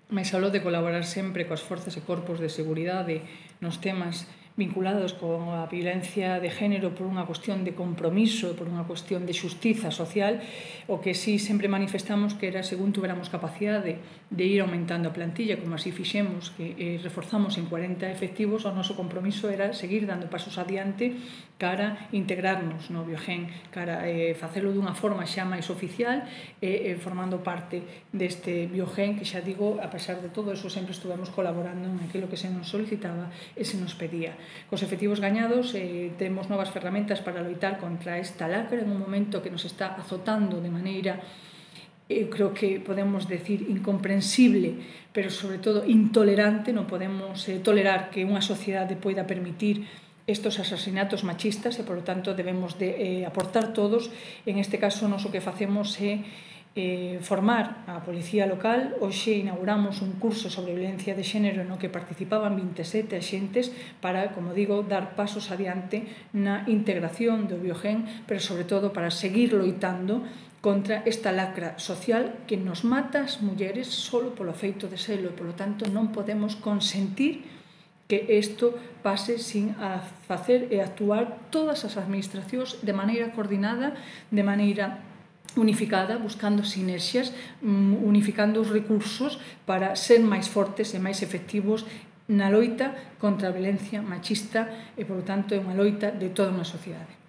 mais aló de colaborar sempre coas forzas e corpos de seguridade nos temas vinculados con a violencia de género por unha cuestión de compromiso, por unha cuestión de xustiza social, o que sí sempre manifestamos que era según tuveramos capacidade de ir aumentando a plantilla, como así fixemos, que reforzamos en 40 efectivos, o noso compromiso era seguir dando pasos adiante cara integrarnos no Biogen, cara facelo dunha forma xa máis oficial e formando parte deste Biogen que xa digo, a pesar de todo eso, sempre estuvemos colaborando en aquilo que se nos solicitaba e se nos pedía. Cos efectivos gañados temos novas ferramentas para loitar contra esta lacra en un momento que nos está azotando de maneira, eu creo que podemos decir incomprensible, pero sobre todo intolerante. Non podemos tolerar que unha sociedade poida permitir estos asasinatos machistas e, por lo tanto, debemos de aportar todos. En este caso, nós o que facemos é formar a Policía Local. Hoxe inauguramos un curso sobre violencia de xénero no que participaban 27 axentes para, como digo, dar pasos adiante na integración do Biogen, pero sobre todo para seguir loitando contra esta lacra social que nos mata as mulleres solo polo feito de selo e, polo tanto, non podemos consentir que isto pase sin facer e actuar todas as administracións de maneira coordinada, de maneira unificada, buscando sinerxias, unificando os recursos para ser máis fortes e máis efectivos na loita contra a violencia machista e, por tanto, é unha loita de toda unha sociedade.